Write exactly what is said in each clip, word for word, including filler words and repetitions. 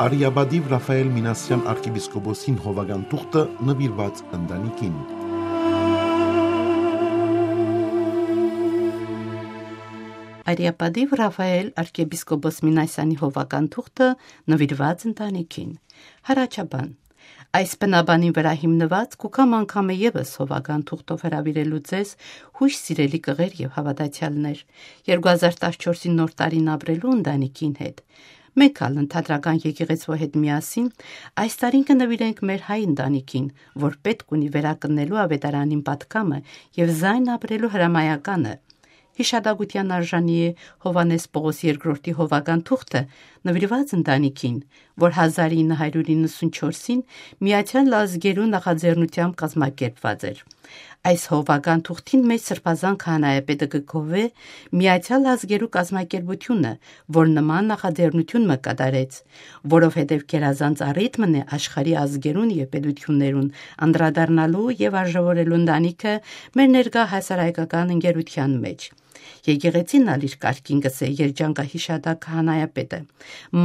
Արիապատիւ Ռաֆայէլ Մինասեան արքեպիսկոպոսին հովական թուղթը նուիրուած ընտանիքին։ Արիապատիւ Ռաֆայէլ արքեպիսկոպոս Մինասեանի հովական թուղթը նուիրուած ընտանիքին։ Հառաչապան։ Այս բնաբանին վրայ հիմնուած կու կամ անգամը եւս հովական թուղթով հրաւիրելու ձեզ, յոյս սիրելի կղեր եւ հաւատացեալներ, երկու հազար տասնչորսին նոր տարին ապրելու ընտանիքին հետ։ Մէկ ալ ընդհանրական եկեղեցւոյ հետ միասին այս տարին կը նուիրենք մեր հայ ընտանիքին, որ պէտք ունի վերակննելու աւետարանին պատկամը եւ զայն ապրելու հրամայականը։ Յիշատակութեան արժանի է Յովհաննէս Պողոս երկրորդի հովական թուղթը նուիրուած ընտանիքին, որ հազար ինը հարիւր իննսունչորսին Միացեալ Ազգերու նախաձեռնութեամբ կազմակերպուած էր։ Այս հովական թուղթին մէջ Սրբազան քահանայապետը կը գովէ Միացեալ Ազգերու կազմակերպութիւնը, որ նման նախաձեռնութիւն մը կատարեց, որովհետեւ գերազանց առիթ մըն է աշխարհի ազգերուն եւ պետութիւններուն անդրադառնալու եւ արժեւորելու ընտանիքը մեր ներկայ հասարակական ընկերութեան մէջ։ Եկեղեցին ալ իր կարգին կ'ըսէ երջանկա յիշատակ քահանայապետը։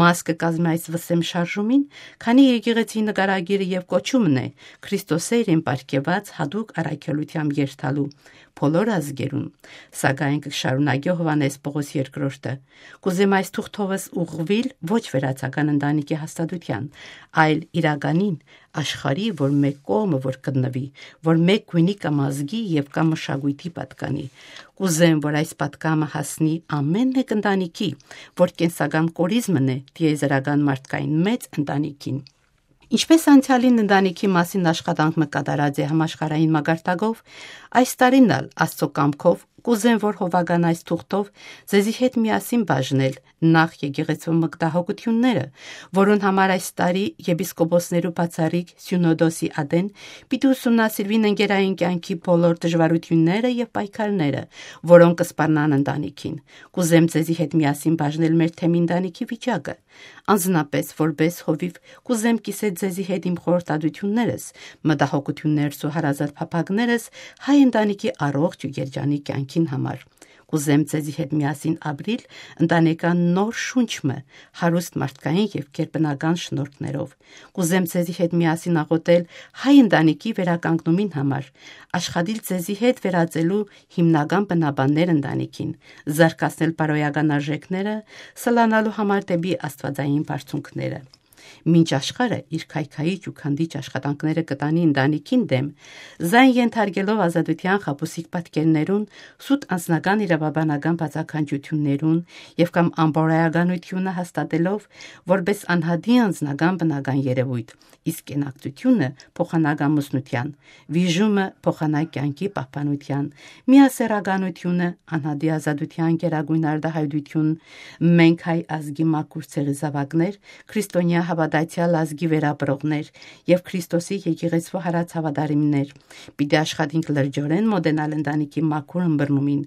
Մաս կը կազմէ այս վսեմ շարժումին, քանի եկեղեցի նկարագիրը եւ կոչումն է Քրիստոսէ իրեն պարգեւած յատուկ առաքելութեամբ երթալու բոլոր ազգերուն, սակայն կը շարունակէ Յովհաննէս Պողոս երկրորդը. «Կ'ուզեմ այս թուղթովս ուղղուիլ ոչ վերացական ընտանիքի հաստատութեան, այլ իրականին, աշխարհի, որ մէկ կողմը որ գտնուի, որ մէկ գոյնի կամ ազգի եւ կամ մշակոյթի պատկանի։ Կ'ուզեմ, որ այս պատկամը հասնի ամէն մէկ ընտանիքի, որ կենսական կորիզմն է տիեզերական մարդկային մեծ ընտանիքին»։ Ինչպէս անցեալին ընտանիքի մասին աշխատանք մը կատարած է համաշխարհային մակարդակով, այս տարին ալ Աստծո կամքով կ'ուզեմ, որ հովական այս թուղթով ձեզի հետ միասին բաժնել նախ եկեղեցու մտահոգությունները, որուն համար այս տարի եպիսկոպոսներու բացառիկ սիւնոդոսի ատեն պիտի ուսումնասիրուին ընկերային կեանքի բոլոր դժուարութիւնները եւ պայքարները, որոնք կը սպառնան ընտանիքին։ Կ'ուզեմ ձեզի հետ միասին բաժնել մեր թեմի ընտանիքի վիճակը։ Անձնապէս, որպէս հովիւ, կ'ուզեմ կիսել ձեզի հետ իմ խորհրդատութիւններս, մտահոգութիւններս ու հարազատ փափագներս հայ ընտանիքի առողջ ու երջանիկ կեանքին համար։ Կ'ուզեմ ձեզի հետ միասին ապրիլ ընտանեկան նոր շունչ մը, հարուստ մարդկային եւ գերբնական շնորհքներով։ Կ'ուզեմ ձեզի հետ միասին աղօթել հայ ընտանիքի վերականգնումին համար, աշխատիլ ձեզի հետ վերածելու հիմնական բնաբաններ ընտանիքին, զարգացնել բարոյական արժեքները, սլանալու համար դէպի աստուածային բարձունքները։ Մինչ աշխարհը իր քայքայիչ ու քանդիչ աշխատանքները կը տանի ընտանիքին դէմ, զայն ենթարկելով ազատութեան խաբուսիկ պատկերներուն, սուտ անձնական իրավաբանական բացականչութիւններուն եւ կամ անբարոյականութիւնը հաստատելով որպէս անհատի անձնական բնական երեւոյթ, իսկ կենակցութիւնը փոխանակ ամուսնութեան, վիժումը փոխանակ կեանքի պահպանութեան, միասեռականութիւնը անհատի ազատութեան գերագոյն արտահայտութիւն, մենք հայ ազգի մաքուր ցեղի զաւակներ, քրիստոնեայ հաւատացեալ ազգի վերապրողներ եւ Քրիստոսի եկեղեցւոյ յարաց հաւատարիմներ, պիտի աշխատենք լրջորեն մօտենալ ընտանիքի մաքուր ըմբռնումին,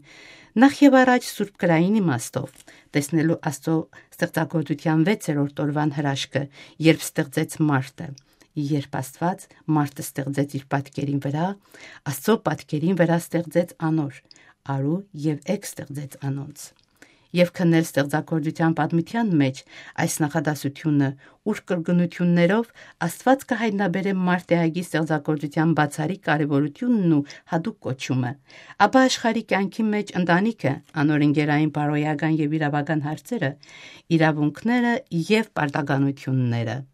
նախ եւ առաջ սուրբ գրային իմաստով, տեսնելու Աստծո ստեղծագործութեան վեցերորդ օրուան հրաշքը, երբ ստեղծեց մարդը։ Երբ Աստուած մարդը ստեղծեց իր պատկերին վրայ, Աստծո պատկերին վրայ ստեղծեց անոր, արու եւ էգ ստեղծեց անոնց։ Եւ քննել ստեղծագործութեան պատմութեան մէջ այս նախադասութիւնը, ուր կրկնութիւններով Աստուած կը հայտնաբերէ մարդեայակի ստեղծագործութեան բացառիկ կարեւորութիւնն ու յատուկ կոչումը, ապա աշխարհի կեանքի մէջ ընտանիքը, անոր ընկերային բարոյական եւ իրաւական հարցերը, իրաւունքները եւ պարտականութիւնները։